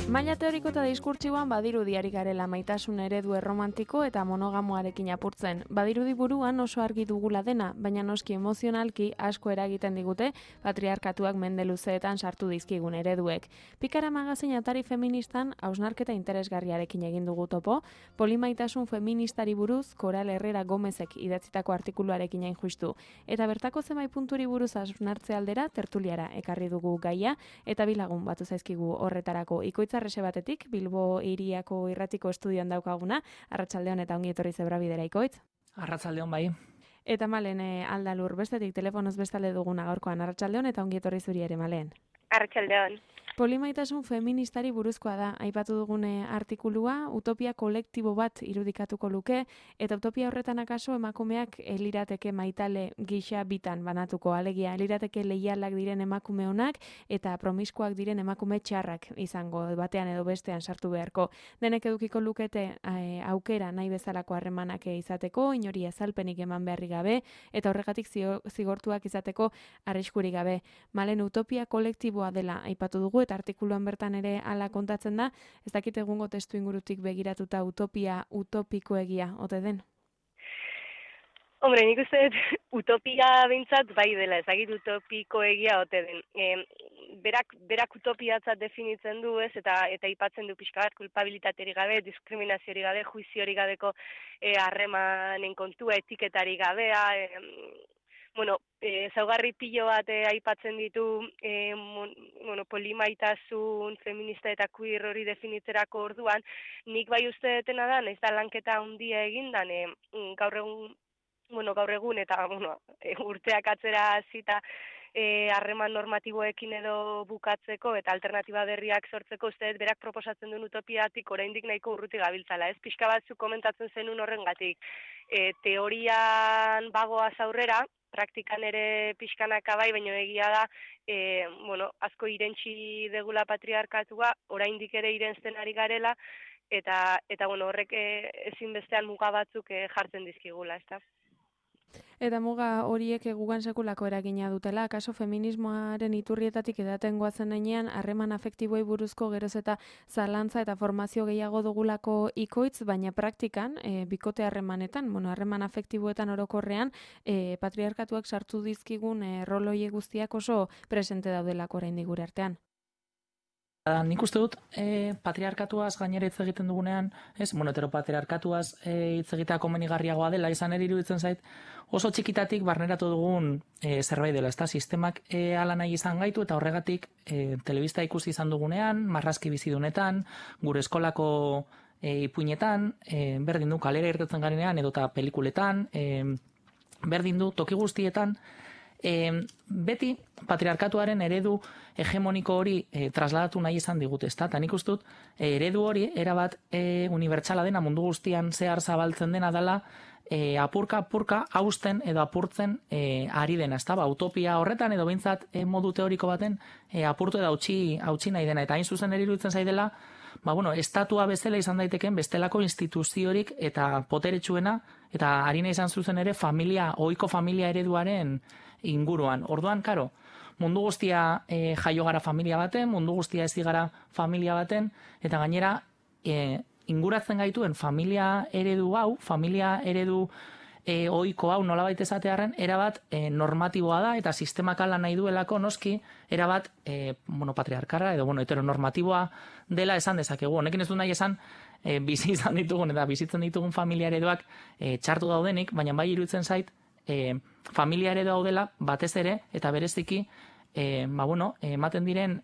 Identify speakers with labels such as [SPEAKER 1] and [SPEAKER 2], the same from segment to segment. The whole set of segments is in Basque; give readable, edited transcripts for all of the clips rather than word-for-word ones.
[SPEAKER 1] Maila teoriko eta diskurtsiboan badirudi ari garela maitasun eredu erromantiko eta monogamoarekin apurtzen. Badirudi buruan oso argi dugula dena, baina noski emozionalki asko eragiten digute patriarkatuak mende luzeetan sartu dizkigun ereduek. Pikara magazin atari feministan hausnarketa interesgarriarekin egin dugu topo, polimaitasun feministari buruz Koral Herrera Gomezek idatzitako artikuluarekin hain justu. Eta bertako zenbait punturi buruz hausnartze aldera tertuliara ekarri dugu gaia eta bilagun batu zaizkigu horretarako ikoitza Arrese batetik, Bilbo hiriako irratiko estudioan daukaguna, Arratsaldeon eta ongi etorri Zebrabidera ikoitz.
[SPEAKER 2] Arratsaldeon bai.
[SPEAKER 1] Eta Malen Aldalur bestetik telefonoz bestalde duguna gaurkoan Arratsaldeon eta ongi etorri zuri ere Malen.
[SPEAKER 3] Arratsaldeon.
[SPEAKER 1] Polimaitasun feministari buruzkoa da, aipatu dugune artikulua, utopia kolektibo bat irudikatuko luke, eta utopia horretan akaso emakumeak lirateke maitale gisa bitan banatuko, alegia lirateke leialak diren emakume honak eta promiskoak diren emakume txarrak izango batean edo bestean sartu beharko. Denek edukiko lukete aukera nahi bezalako harremanak izateko, inori azalpenik eman beharri gabe, eta horregatik zigortuak izateko arriskurik gabe. Malen utopia kolektiboa dela aipatu dugu, eta artikuluan bertan ere hala kontatzen da, ez dakit egungo testu ingurutik begiratuta utopia utopikoegia ote den?
[SPEAKER 3] Hombre, nik uste utopia bintzat bai dela, ezagit utopikoegia ote den. Berak utopiatzat definitzen du ez, eta aipatzen du pixka bat kulpabilitaterik gabe, diskriminaziorik gabe, juiziorik gabeko harremanen kontua, etiketari gabea, zaugarri pilo bat aipatzen ditu polimaitasun, feminista eta queer hori definitzerako orduan, nik bai uste detena da, ez da lanketa handia egindan, gaur egun eta urteak atzera hasita harreman normatiboekin edo bukatzeko eta alternatiba berriak sortzeko uste berak proposatzen duen utopiatik oraindik nahiko urruti gabiltzala. Ez pixka batzuk komentatzen zenun horrengatik. Teorian bagoaz aurrera, praktikan ere pixkanaka bai, baina egia da, asko irentsi degula patriarkatua, oraindik ere irentzen ari garela, eta horrek ezinbestean muga batzuk jartzen dizkigula, ezta?
[SPEAKER 1] Eta muga horiek gugan sekulako eragina dutela, akaso feminismoaren iturrietatik edaten goazen heinean, harreman afektiboei buruzko geroz eta zalantza eta formazio gehiago dugulako ikoitz, baina praktikan, bikote harremanetan, harreman afektiboetan orokorrean, patriarkatuak sartu dizkigun roloie guztiak oso presente daudelako oraindik gure artean.
[SPEAKER 2] Nik uste dut, patriarkatuaz gainera hitz egiten dugunean, heteropatriarkatuaz hitz egitea komenigarriagoa dela, izan ere iruditzen zait, oso txikitatik barneratu dugun zerbait dela, ezta? Sistemak hala nahi izan gaitu eta horregatik telebista ikusi izan dugunean, marrazki bizidunetan, gure eskolako ipuinetan, berdin du kalera irtetzen garenean edota pelikuletan, berdin du toki guztietan, beti patriarkatuaren eredu hegemoniko hori trasladatu nahi izan digute, ezta? Eta nik uste dut eredu hori erabat unibertsala dena, mundu guztian zehar zabaltzen dena dela, apurka hausten edo apurtzen ari dena, ezta? Utopia horretan edo behintzat modu teoriko baten apurtu edo hautsi nahi dena, eta hain zuzen ere iruditzen zaidela, estatua bezala izan daiteken bestelako instituziorik eta poteretsuena, eta harina izan zuzen ere ohiko familia ereduaren inguruan. Orduan, karo, mundu guztia jaio gara familia baten, mundu guztia ezi gara familia baten, eta gainera inguratzen gaituen familia eredu hau, familia eredu ohiko hau nolabait esatearren, erabat normatiboa da, eta sistemak ala nahi duelako noski, erabat patriarkarra edo heteronormatiboa dela esan dezakegu. Honekin ez du nahi esan bizi izan ditugun eta bizitzen ditugun familia ereduak txartu daudenik, baina bai iruditzen zait familia eredu daudela batez ere eta bereziki ematen diren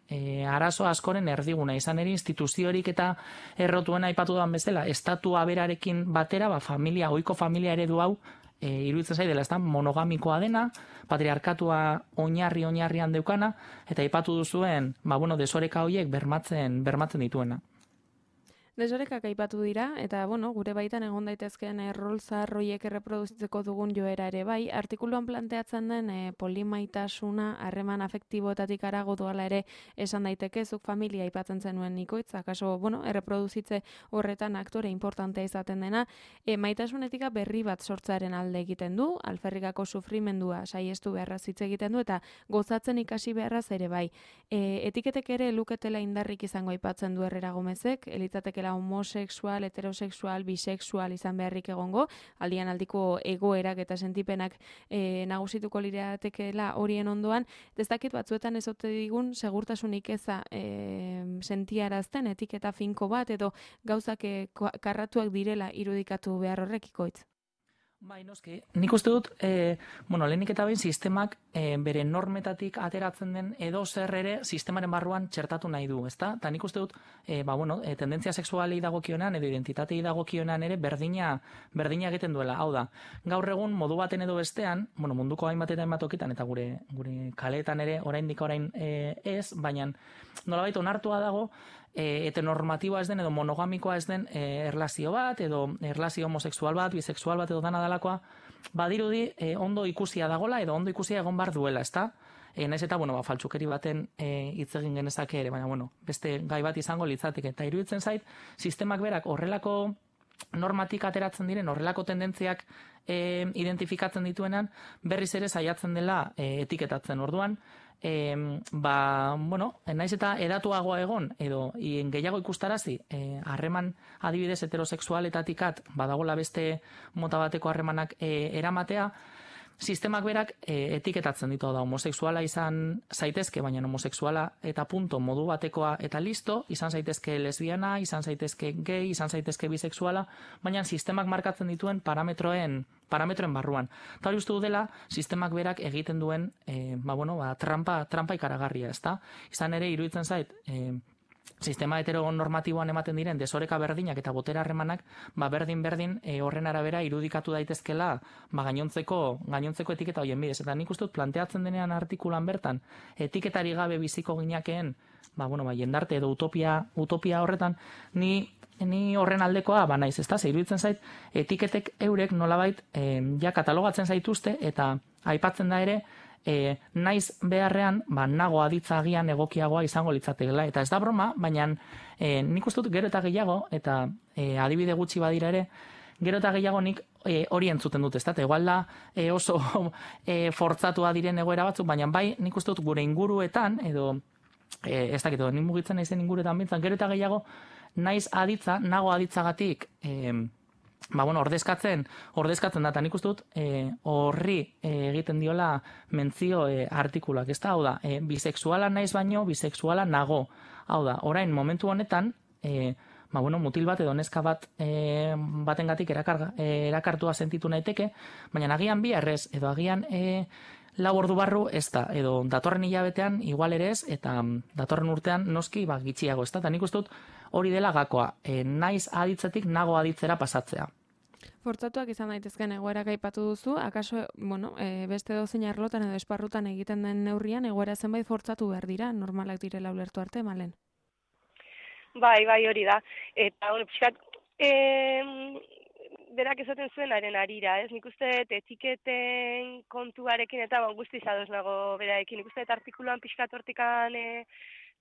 [SPEAKER 2] arazo askoren erdiguna, izan ere instituziorik eta errotuena aipatu duan bezala, estatua berarekin batera, ohiko familia eredu hau iruditzen zait dela, ez da, monogamikoa dena, patriarkatua oinarrian deukana, eta aipatu duzuen, desoreka horiek bermatzen dituena.
[SPEAKER 1] Desorekak aipatu dira, eta, bueno, gure baitan egon daitezkeen rol zaharroiek erreproduzitzeko dugun joera ere bai, artikuluan planteatzen den polimaitasuna, harreman afektiboetatik harago doala ere esan daiteke, zuk familia aipatzen zenuen Nikoitz, akaso, bueno, erreproduzitze horretan aktore importantea izaten dena, maitasunetika berri bat sortzaren alde egiten du, alferrikako sufrimendua saiestu beharraz hitz egiten du, eta gozatzen ikasi beharraz ere bai. Etiketek ere luketela indarrik izango aipatzen du Herrera Gomezek, elitzateke homosexual, heterosexual, bisexual izan beharrik egongo, aldian aldiko egoerak eta sentipenak nagusituko liratekeela horien ondoan, ez dakit batzuetan ez ote digun segurtasunik eza sentiarazten etiketa finko bat edo gauzak karratuak direla irudikatu behar horrekikoitz.
[SPEAKER 2] Bai, noski. Nik uste dut, lehenik eta behin sistemak bere normetatik ateratzen den edo zer ere sistemaren barruan txertatu nahi du, ezta? Eta nik uste dut, tendentzia sexualei dagokionean edo identitatei dagokionean ere berdina egiten duela. Hau da, gaur egun modu baten edo bestean, munduko hainbat eta hainbat tokitan eta gure kaleetan ere oraindik ez, baina nolabait onartua dago, heteronormatiboa ez den edo monogamikoa ez den erlazio bat edo erlazio homosexual bat, bisexual bat edo dana dalakoa, badirudi ondo ikusia dagola edo ondo ikusia egon bar duela, ezta? Naiz eta, faltsukeri baten hitz egin genezake ere, baina, beste gai bat izango litzateke. Eta iruditzen zait, sistemak berak horrelako normatik ateratzen diren, horrelako tendentziak identifikatzen dituenan, berriz ere saiatzen dela etiketatzen orduan, naiz eta edatuagoa egon edo gehiago ikustarazi harreman adibidez heterosexualetatikat badagola beste mota bateko harremanak eramatea, sistemak berak etiketatzen ditu da homosexuala izan zaitezke, baina homosexuala eta punto modu batekoa eta listo, izan zaitezke lesbiana, izan zaitezke gay, izan zaitezke bisexuala, baina sistemak markatzen dituen parametroen barruan. Eta hori uste du dela, sistemak berak egiten duen trampa ikaragarria, ezta? Izan ere, iruditzen zait, sistema heteronormatiboan ematen diren desoreka berdinak eta botera harremanak berdin horren arabera irudikatu daitezkela gainontzeko etiketa hoien bidez. Eta nik uste dut planteatzen denean artikulan bertan etiketari gabe biziko ginakeen jendarte edo utopia horretan ni horren aldekoa naiz, ezta? Ze iruditzen zait etiketek eurek nolabait ja katalogatzen zaituzte eta aipatzen da ere naiz beharrean, nago aditza agian egokiagoa izango litzatekeela. Eta ez da broma, baina nik uste dut gero eta gehiago, eta adibide gutxi badira ere, gero eta gehiago nik hori entzuten dut, ez da? Igual da oso fortzatua diren egoera batzuk, baina bai nik uste dut gure inguruetan, edo ez dakit, nik mugitzen naizen inguruetan bintzan, gero eta gehiago naiz aditza, nago aditzagatik ordezkatzen da, eta nik uste dut horri egiten diola mentzio artikulak, ez da, hau da, bisexuala naiz baino, bisexuala nago, hau da, orain momentu honetan, mutil bat edo neska bat batengatik erakartua sentitu naiteke, baina agian bi errez, edo agian lau ordu barru ez da, edo datorren hilabetean igual ere ez, eta datorren urtean noski gitxiago, ez da, eta nik uste dut hori dela gakoa, naiz aditzetik nago aditzera pasatzea.
[SPEAKER 1] Fortzatuak izan daitezken egoerak aipatu duzu, akaso, beste dozein arlotan edo esparrutan egiten den neurrian, egoera zenbait fortzatu behar dira, normalak direla ulertu arte, Malen?
[SPEAKER 3] Bai, hori da. Eta, pixkat, berak esaten zuen haren arira, ez? Nik uste etiketen kontuarekin eta guztiz ados nago berarekin. Nik uste artikuluan pixkat hortikan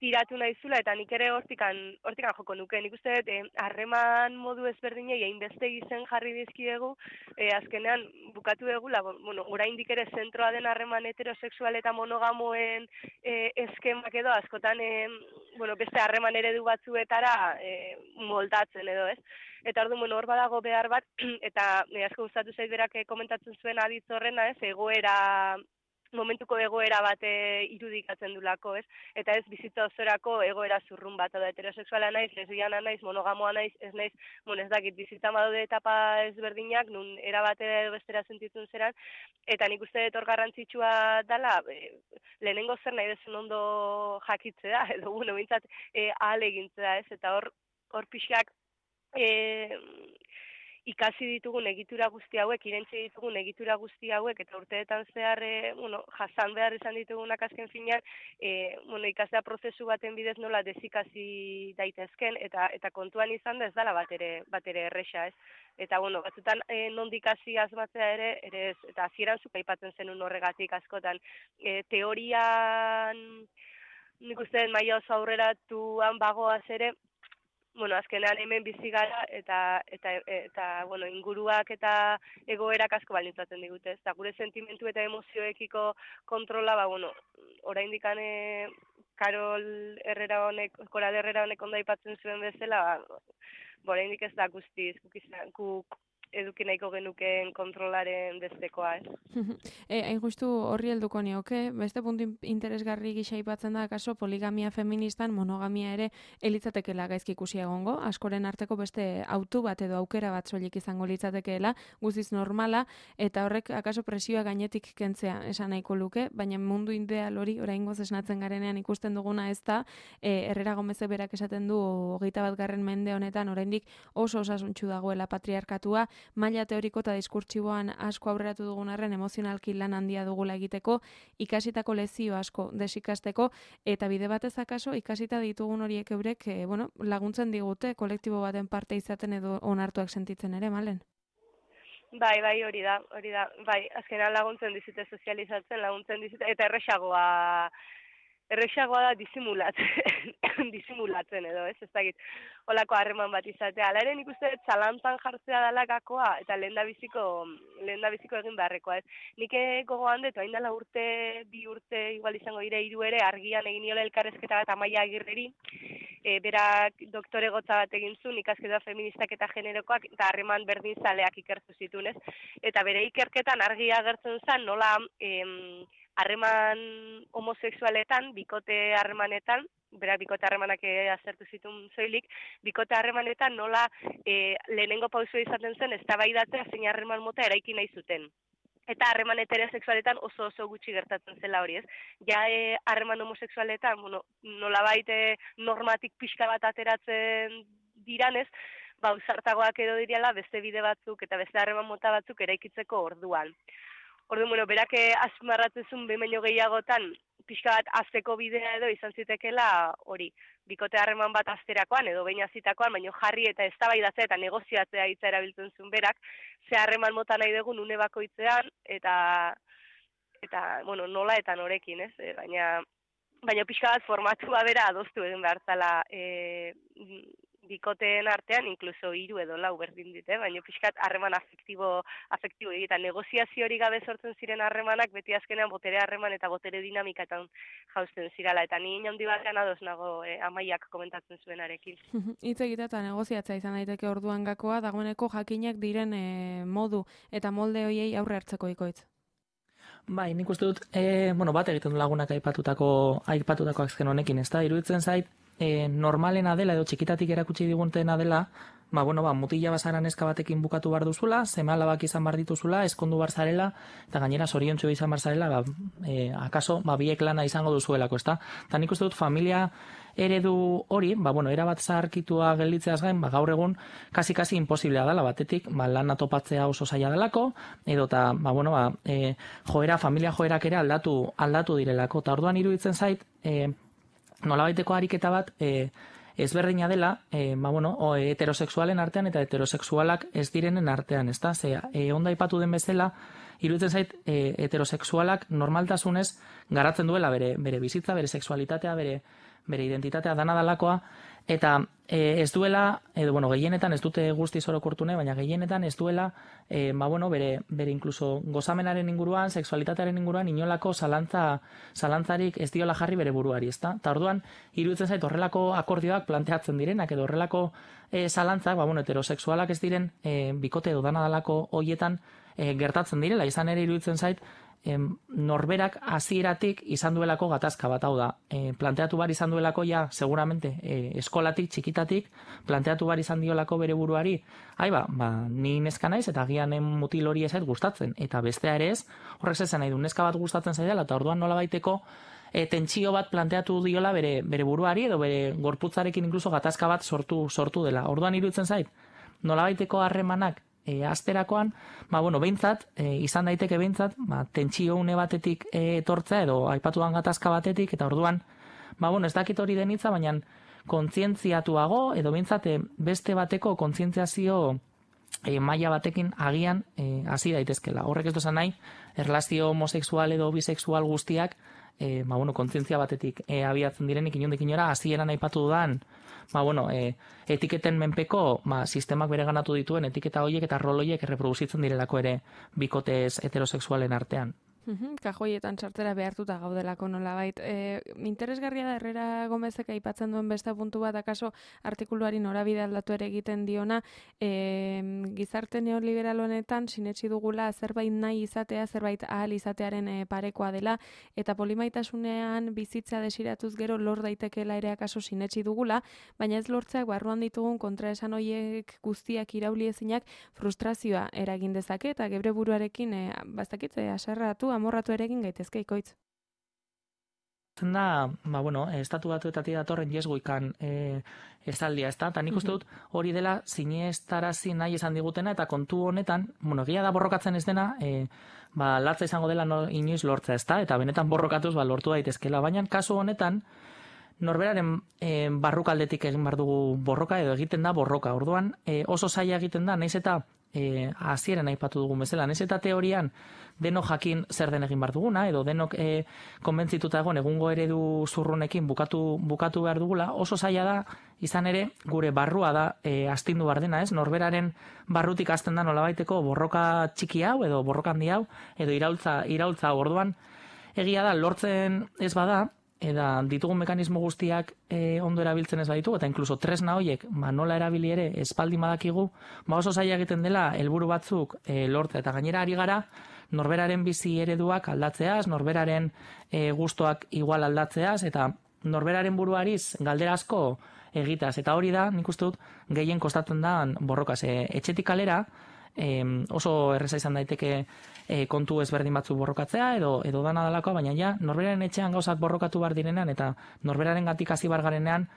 [SPEAKER 3] tiratu nahizula eta nik ere hortikan joko nuke. Nik uste harreman modu ezberdinei hainbeste izen jarri dizkiegu, azkenean bukatu egula, oraindik ere zentroa den harreman heterosexual eta monogamoen eskemak edo askotan beste harreman eredu batzuetara moldatzen edo, ez? Eta orduan, hor badago behar bat, eta asko gustatu zait berak komentatzen zuen aditz horrena, ez? Momentuko egoera bat irudikatzen dulako, ez? Eta ez bizitza osorako egoera zurrun bat, da heterosexuala naiz, lesbiana naiz, monogamoa naiz, ez naiz, ez dakit, bizitza badaude etapa ezberdinak, nun erabate edo bestera sentitun zeran, eta nik uste dut hor garrantzitsua dela, lehenengo zer nahi dezun ondo jakitzea, edo, bintzat, ahal egintzea, ez? Eta hor pixak, ikasi ditugun egitura guzti hauek, irentzi ditugun egitura guzti hauek, eta urteetan zehar, jasan behar izan ditugunak azken finean, ikastea prozesu baten bidez nola dezikasi daitezken, eta kontuan izan da ez dela bat ere erresa, ez? Eta, batzutan nondik hasi asmatzea ere ez, eta hasieran zuk aipatzen zenun horregatik askotan. Teorian, nik uste maila oso aurreratuan bagoaz ere, azkenean hemen bizi gara eta inguruak eta egoerak asko baldintzatzen digute, eta gure sentimentu eta emozioekiko kontrola, oraindik Koral Herrera honek ondo aipatzen zuen bezala, oraindik ez da guztiz, guk eduki nahiko genukeen kontrolaren bestekoa, ez?
[SPEAKER 1] Hain justu horri helduko nioke, beste puntu interesgarri gisa aipatzen da, akaso poligamia feministan monogamia ere elitzatekeela gaizki ikusi egongo, askoren arteko beste autu bat edo aukera bat soilik izango litzatekeela, guztiz normala, eta horrek akaso presioa gainetik kentzea esan nahiko luke, baina mundu ideal hori oraingoz esnatzen garenean ikusten duguna ez da, Herrera Gomezek berak esaten du 21. mende honetan oraindik oso osasuntsu dagoela patriarkatua, maila teoriko eta diskurtsiboan asko aurreratu dugun arren emozionalki lan handia dugula egiteko, ikasitako lezio asko desikasteko, eta bide batez akaso ikasita ditugun horiek eurek laguntzen digute kolektibo baten parte izaten edo onartuak sentitzen ere, Malen?
[SPEAKER 3] Bai, hori da. Bai, azkenan laguntzen dizute sozializatzen, laguntzen dizute, eta erresagoa da disimulatzen edo, ez dakit, holako harreman bat izatea. Hala ere nik uste zalantzan jartzea dela gakoa, eta lehendabiziko egin beharrekoa, ez. Nik gogoan dut, hain dela bi urte, igual izango dire 3 ere, argian egin niola elkarrezketa bat Amaia Agirreri, berak doktoregotza bat egin zuen, ikasketa feministak eta generokoak, eta harreman berdin zaleak ikertu zituen, ez. Eta bere ikerketan argia agertzen zen, nola harreman homosexualetan, bikote harremanetan, berak bikote harremanak aztertu zituen soilik, bikote harremanetan nola lehenengo pausua izaten zen eztabaidatzea zein harreman mota eraiki nahi zuten. Eta harreman heterosexualetan oso gutxi gertatzen zela hori, ez? Ja harreman homosexualetan, nolabait normatik pixka bat ateratzen diranez, ausartagoak edo direla beste bide batzuk eta beste harreman mota batzuk eraikitzeko orduan. Orduan, berak azpimarratzen zuen behin baino gehiagotan pixka bat azteko bidea edo izan zitekeela hori, bikote harreman bat azterakoan edo behin azitakoan, baino jarri eta eztabaidatzea eta negoziatzea hitza erabiltzen zuen berak, ze harreman mota nahi dugun une bakoitzean eta nola eta norekin, ez? Baina pixka bat formatua bera adostu egin behar zala bikoteen artean, inkluso 3 edo 4 berdin dite, baina pixkat harreman afektibo egiten. Negoziazio hori gabe sortzen ziren harremanak, beti azkenean botere harreman eta botere dinamikatan jausten zirala, eta ni handi batean ados nago Amaiak komentatzen zuenarekin.
[SPEAKER 1] Hitz egitea eta negoziatzea izan daiteke orduan gakoa, dagoeneko jakinak diren modu eta molde hoiei aurre hartzeko ikoitz.
[SPEAKER 2] Bai, nik uste dut, bat egiten du lagunak aipatutako azken honekin, ez da, iruditzen zait, normalena dela edo txikitatik erakutsi digutena dela, mutila bazara neska batekin bukatu behar duzula, seme-alabak izan behar dituzula, ezkondu behar zarela, eta gainera zoriontsu izan behar zarela, akaso, biek lana izango duzuelako, ezta? Eta nik uste dut familia eredu hori, erabat zaharkitua gelditzeaz gain, gaur egun kasi imposiblea dela batetik, lana topatzea oso zaila delako, edo eta, familia joerak ere aldatu direlako, eta orduan iruditzen zait, nolabaiteko ariketa bat ezberdina dela, heterosexualen artean eta heterosexualak ez direnen artean, ezta? Ondo aipatu den bezala, iruditzen zait heterosexualak normaltasunez garatzen duela bere bizitza, bere sexualitatea, bere identitatea dana dalakoa, eta ez duela, gehienetan ez dute guztiz orokortune, baina gehienetan ez duela, bere inkluso gozamenaren inguruan, sexualitatearen inguruan, inolako zalantzarik ez diola jarri bere buruari, ezta? Ta orduan, iruditzen zait horrelako akordioak planteatzen direnak, edo horrelako zalantzak, heterosexualak ez diren bikote edo dana dalako hoietan gertatzen direla, izan ere iruditzen zait, norberak hasieratik izan duelako gatazka bat, hau da, planteatu bar izan duelako seguramente eskolatik, txikitatik, planteatu bar izan diolako bere buruari, ni neska naiz eta agian mutil hori ez gustatzen, eta bestea ere ez, horrek zezen nahi du, neska bat gustatzen zaidala, eta orduan nola baiteko tentsio bat planteatu diola bere buruari, edo bere gorputzarekin inkluso gatazka bat sortu dela. Orduan iruditzen zait, nola baiteko harremanak asterakoan, behintzat, izan daiteke behintzat, tentsio une batetik etortzea edo aipatuan gatazka batetik, eta orduan, ez dakit hori denitza, baina kontzientziatuago edo behintzat beste bateko kontzientziazio maila batekin agian hasi daitezkela. Horrek ez duzan nahi, erlazio homosexual edo bisexual guztiak kontzientzia batetik abiatzen direnik inondik inora, hasieran aipatu dudan, etiketen menpeko sistemak bere ganatu dituen etiketa horiek eta rol horiek erreproduzitzen direlako ere bikotez heterosexualen artean.
[SPEAKER 1] Kajoietan sartzera behartuta gaudelako nolabait. Interesgarria da Herrera Gomezek aipatzen duen beste puntu bat, akaso artikuluari norabide aldatu ere egiten diona, gizarte neoliberal honetan sinetsi dugula zerbait nahi izatea, zerbait ahal izatearen parekoa dela, eta polimaitasunean bizitza desiratuz gero lor daitekeela ere akaso sinetsi dugula, baina ez lortzeak barruan ditugun kontraesan hoiek guztiak irauli ezinak frustrazioa eragin dezake, eta gebre buruarekin bastakitze aserratu amorratu ere egin gaitezke ikoitz.
[SPEAKER 2] Da, estatu batuetatik datorren jesgoikan esaldia, ezta? Ta nik uste dut hori dela sinestarazi nahi esan digutena, eta kontu honetan, egia da borrokatzen ez dena, latza izango dela inoiz lortza, ezta? Eta benetan borrokatuz lortu daitezkela, baina kasu honetan norberaren barrukaldetik egin behar dugu borroka edo egiten da borroka. Orduan oso zaila egiten da, nahiz eta hasieran aipatu dugun bezala, nahiz eta teorian denok jakin zer den egin behar duguna, edo denok konbentzituta egon egungo eredu zurrunekin bukatu behar dugula, oso zaila da, izan ere, gure barrua da astindu behar dena, ez? Norberaren barrutik hasten da nolabaiteko borroka txiki hau, edo borroka handi hau, edo iraultza orduan, egia da, lortzen ez bada, eta ditugun mekanismo guztiak ondo erabiltzen ez baditu, eta inkluso tresna horiek nola erabili ere espaldi badakigu, oso zaila egiten dela helburu batzuk lortzea, eta gainera ari gara norberaren bizi ereduak aldatzeaz, norberaren gustoak igual aldatzeaz, eta norberaren buruariz galdera asko egiteaz, eta hori da, nik uste dut, gehien kostatzen da borrokaz. Etxetik kalera, oso erreza izan daiteke kontu ezberdin batzuk borrokatzea edo dana dalakoa, baina ja norberaren etxean gauzak borrokatu behar direnean eta norberaren gatik hasi bar garenean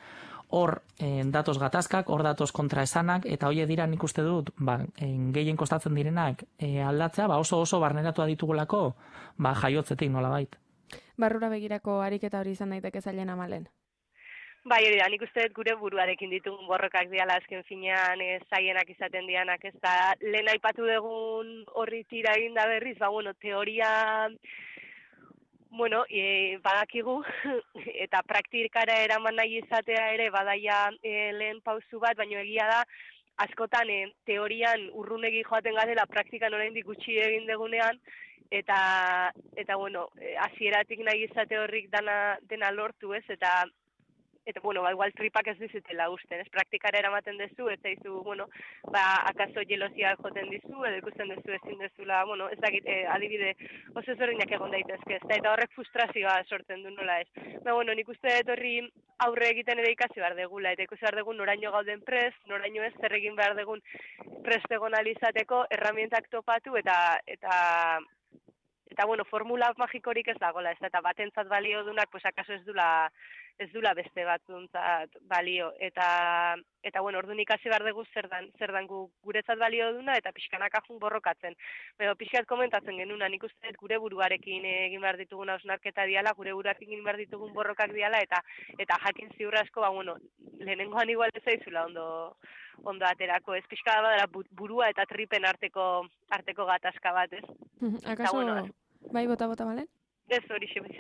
[SPEAKER 2] hor datoz gatazkak, hor datoz kontraesanak, eta horiek dira nik uste dut gehien kostatzen direnak aldatzea, oso barneratua ditugulako jaiotzetik nolabait.
[SPEAKER 1] Barrura begirako ariketa hori izan daiteke zailen Amalen.
[SPEAKER 3] Bai, hori da, nik uste dut gure buruarekin ditugun borrokak diala azken finean zaienak izaten dianak, ez da, lehen aipatu dugun horri tira egin da berriz, teoria, badakigu, eta praktikara eraman nahi izatea ere, badaia lehen pausu bat, baina egia da, askotan teorian urrunegi joaten garela, praktikan oraindik gutxi egin degunean, eta hasieratik nahi izate horrik dena lortu, ez, eta igual tripak ez dizutela usten, ez praktikara eramaten dezu, ez zaizu, akaso jelosia joten dizu, edo ikusten dezu ezin dezula, ez dakit, adibide oso ezberdinak egon daitezke, eta horrek frustrazioa sortzen du nola ez. Nik uste dut horri aurre egiten ere ikasi behar degula, eta ikusi behar degun noraino gauden prest, noraino ez zer egin behar degun prest egon alizateko, erramientak topatu, eta formula magikorik ez dagoela, ez eta batentzat balio dunak, akaso ez dula beste batzuntzat balio, eta orduan ikasi behar dugu zer dan guretzat balio duna, eta pixkanaka jun borrokatzen. Pixkat komentatzen genuna, nik uste gure buruarekin egin behar ditugun hausnarketa diala, gure buruarekin egin behar ditugun borrokak diala, eta jakin ziur asko, lehenengoan igual ez zaizula ondo aterako, ez pixka badara burua eta tripen arteko gatazka bat, ez?
[SPEAKER 1] Akaso, bai, bota, Malen?
[SPEAKER 3] Ez hori xebiz.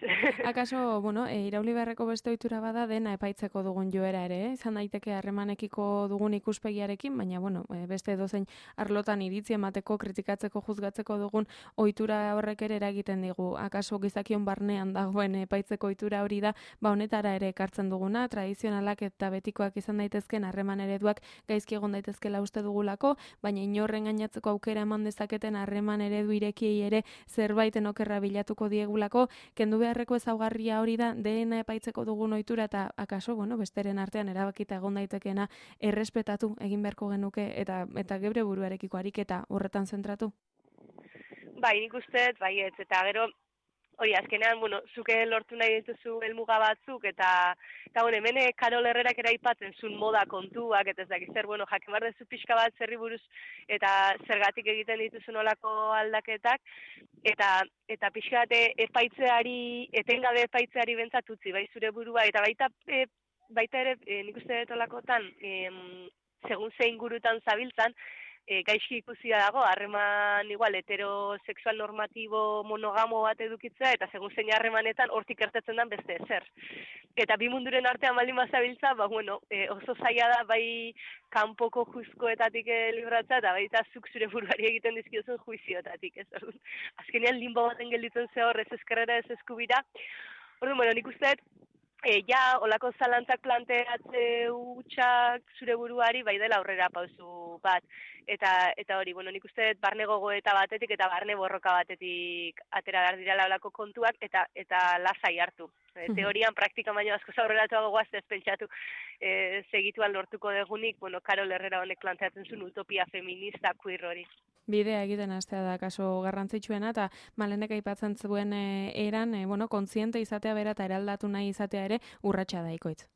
[SPEAKER 1] Akaso, irauli beharreko beste ohitura bada dena epaitzeko dugun joera ere, izan daiteke harremanekiko dugun ikuspegiarekin, baina, beste edozein arlotan iritzi emateko, kritikatzeko, juzgatzeko dugun ohitura horrek ere eragiten digu. Akaso gizakion barnean dagoen epaitzeko ohitura hori da, honetara ere ekartzen duguna, tradizionalak eta betikoak izan daitezken harreman ereduak gaizki egon daitezkela uste dugulako, baina inorren gainatzeko aukera eman dezaketen harreman eredu irekiei ere zerbaiten okerra bilatuko diegulako, kendu beharreko ezaugarria hori da dena epaitzeko dugun ohitura, eta akaso, besteren artean erabakita egon daitekeena errespetatu egin beharko genuke eta geure buruarekiko ariketa horretan zentratu?
[SPEAKER 3] Bai, nik uste, baietz, eta gero hori, azkenean, bueno, zuke lortu nahi dituzu helmuga batzuk, eta bueno, hemen Karol Herrerak ere aipatzen zuen moda kontuak, eta ez dakit zer, bueno, jakin behar duzu pixka bat zerri buruz, eta zergatik egiten dituzu nolako aldaketak, eta pixka bat etengabe epaitzeari bentsat utzi, bai zure burua, eta baita ere, nik uste dut olakotan, segun zein gurutan zabiltzan, gaizki ikusia dago, harreman igual heterosexual normatibo monogamo bat edukitzea, eta segun zein harremanetan hortik ertetzen den beste ezer. Eta bi munduren artean baldin bazabiltza, bueno, oso zaila da bai kanpoko juzkoetatik libratzea, eta baita zuk zure buruari egiten dizkiozun juizioetatik, ez? Azkenean limbo baten gelditzen ze hor, ez ezkerrera ez eskubira. Orduan, bueno, nik uste ja, olako zalantzak planteatze hutsak zure buruari bai dela aurrera pausu bat. Eta hori, bueno, nik uste barne gogoeta batetik eta barne borroka batetik atera behar dira olako kontuak eta lasai hartu. Teorian, praktikan baino asko aurreratuago goaz ez pentsatu segituan lortuko degunik, bueno, Karol Herrera honek planteatzen zuen utopia feminista queer hori.
[SPEAKER 1] Bidea egiten hastea da kaso garrantzitsuena, eta Malenek aipatzen zuen eran, bueno, kontziente izatea bera eta eraldatu nahi izatea ere urratsa da ikoitz.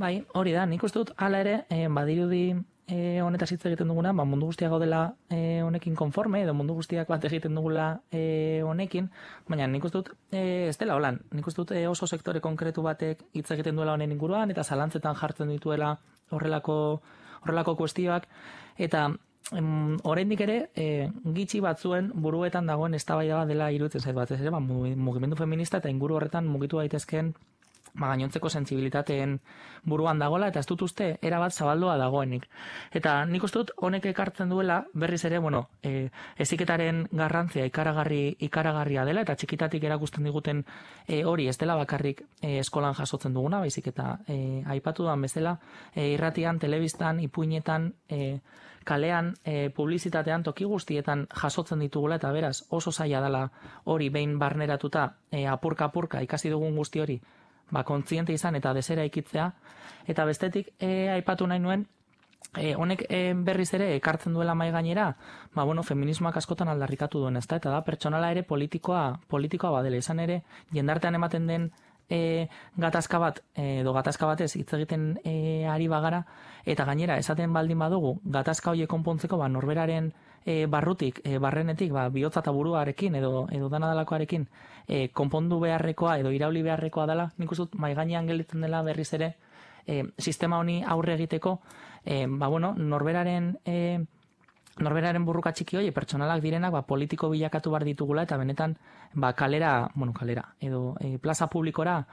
[SPEAKER 2] Bai, hori da, nik uste dut hala ere, badirudi honetaz hitz egiten duguna, mundu guztiak gaudela honekin konforme, edo mundu guztiak bat egiten dugula honekin, baina nik uste dut ez dela holan, nik uste dut oso sektore konkretu batek hitz egiten duela honen inguruan, eta zalantzetan jartzen dituela horrelako kuestioak, eta oraindik ere gitxi batzuen buruetan dagoen eztabaida bat dela iruditzen zait batez ere, mugimendu feminista eta inguru horretan mugitu daitezkeen gainontzeko sentsibilitateen buruan dagoela, eta ez dut uste erabat zabaldua dagoenik. Eta nik uste dut honek ekartzen duela berriz ere, bueno, heziketaren garrantzia ikaragarria dela, eta txikitatik erakusten diguten hori ez dela bakarrik eskolan jasotzen duguna, baizik eta aipatu duan bezala, irratian, telebistan, ipuinetan, kalean, publizitatean, toki guztietan jasotzen ditugula, eta beraz oso zaila dela hori behin barneratuta, apurka ikasi dugun guzti hori, kontziente izan eta desera ikitzea, eta bestetik aipatu nahi nuen, honek berriz ere ekartzen duela mai gainera, bueno, feminismoak askotan aldarrikatu duen, ezta, eta da pertsonala ere politikoa badela, izan ere jendartean ematen den gatazka bat, edo gatazka batez hitz egiten ari bagara, eta gainera esaten baldin badugu gatazka horiek konpontzeko norberaren barrutik, barrenetik, bihotza eta buruarekin edo dana dalakoarekin konpondu beharrekoa edo irauli beharrekoa dela, nik uste dut mai gainean gelditzen dela berriz ere sistema honi aurre egiteko, bueno, norberaren burruka txiki hori pertsonalak direnak politiko bilakatu bar ditugula, eta benetan kalera edo plaza publikora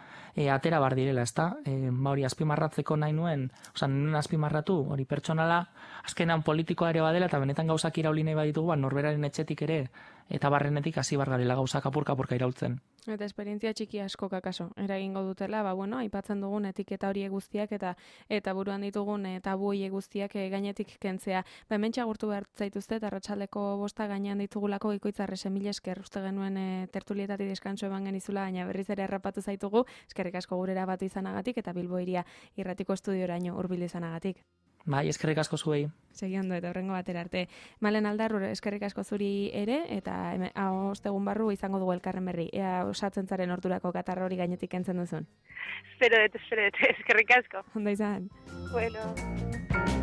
[SPEAKER 2] atera bar direla, ezta? Hori azpimarratzeko nahi nuen, nuen azpimarratu, hori pertsonala azkenan politikoa ere badela, eta benetan gauzak irauli nahi baditugu, norberaren etxetik ere eta barrenetik hasi bar garela gauzak apurka iraultzen.
[SPEAKER 1] Eta esperientzia txiki asko kakaso eragingo dutela, bueno, aipatzen dugun etiketa horiek guztiak eta buruan ditugun tabu horiek guztiak gainetik kentzea. Hementxe agurtu behar zaituzte, eta arratsaldeko 5 gainean ditugulako Ikoitzarrese, mila esker, uste genuen tertulietatik deskanso eman genizula, baina berriz ere errapatu zaitugu, eskerrik asko gurera batu izanagatik eta Bilbo Hiria irratiko estudioraino hurbil izanagatik.
[SPEAKER 2] Bai, eskerrik asko zuei.
[SPEAKER 1] Segi ondo, eta horrengo batera arte. Malen Aldarru, eskerrik asko zuri ere, eta ostegun barru izango dugu elkarren berri. Ea osatzen zaren ordurako katarra hori gainetik kentzen duzun.
[SPEAKER 3] Espero dut, eskerrik asko.
[SPEAKER 1] Ondo izan.
[SPEAKER 3] Bueno.